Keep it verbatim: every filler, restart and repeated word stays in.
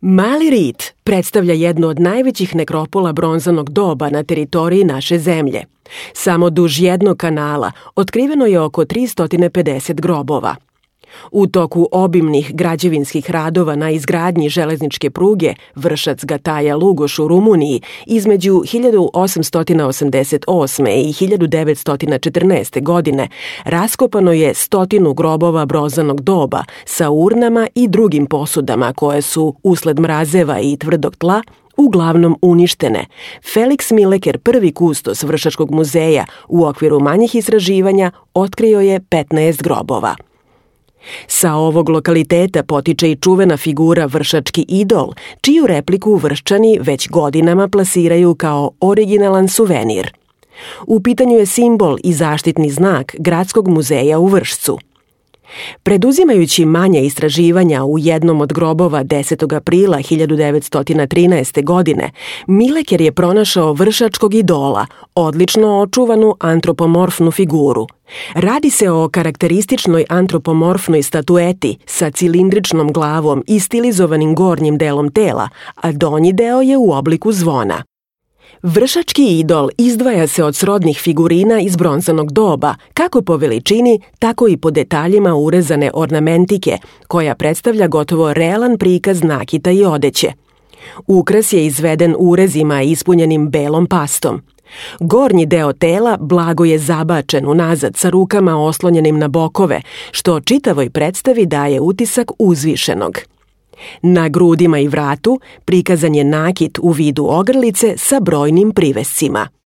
Mali Rit predstavlja jednu od najvećih nekropola bronzanog doba na teritoriji naše zemlje. Samo duž jednog kanala otkriveno je oko tristo pedeset grobova. U toku obimnih građevinskih radova na izgradnji železničke pruge Vršac-Gataja-Lugoš u Rumuniji između hiljadu osamsto osamdeset osme i hiljadu devetsto četrnaeste. godine raskopano je stotinu grobova bronzanog doba sa urnama i drugim posudama koje su, usled mrazeva i tvrdog tla, uglavnom uništene. Felix Mileker, prvi kustos Vršačkog muzeja, u okviru manjih istraživanja otkrio je petnaest grobova. Sa ovog lokaliteta potiče i čuvena figura Vršački idol, čiju repliku Vrščani već godinama plasiraju kao originalan suvenir. U pitanju je simbol i zaštitni znak Gradskog muzeja u Vršcu. Preduzimajući manja istraživanja u jednom od grobova desetog aprila hiljadu devetsto trinaeste. godine, Mileker je pronašao Vršačkog idola, odlično očuvanu antropomorfnu figuru. Radi se o karakterističnoj antropomorfnoj statueti sa cilindričnom glavom i stilizovanim gornjim delom tela, a donji deo je u obliku zvona. Vršački idol izdvaja se od srodnih figurina iz bronzanog doba, kako po veličini, tako i po detaljima urezane ornamentike, koja predstavlja gotovo realan prikaz nakita i odeće. Ukras je izveden urezima ispunjenim belom pastom. Gornji deo tela blago je zabačen unazad sa rukama oslonjenim na bokove, što čitavoj predstavi daje utisak uzvišenog. Na grudima i vratu prikazan je nakit u vidu ogrlice sa brojnim privescima.